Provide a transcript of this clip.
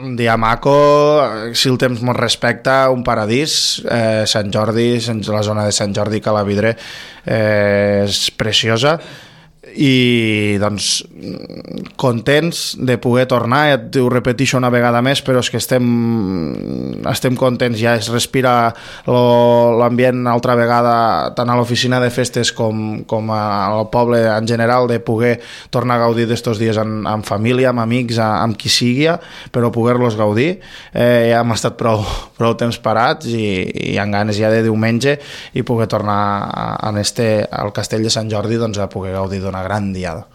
Un dia maco, si el temps mos respecta, un paradís. Sant Jordi, la zona de Sant Jordi, Cala Vidré, és preciosa. I doncs contents de poder tornar, ja ho repeteixo una vegada més, però és que estem contents, ja es respira l'ambient altra vegada tant a l'oficina de festes com al poble en general, de poder tornar a gaudir d'estos dies amb família, amb amics, amb qui sigui, però poder-los gaudir. Ja hem estat prou temps parats i amb ganes ja de diumenge i poder tornar al castell de Sant Jordi, doncs, a poder gaudir d'una gran diada.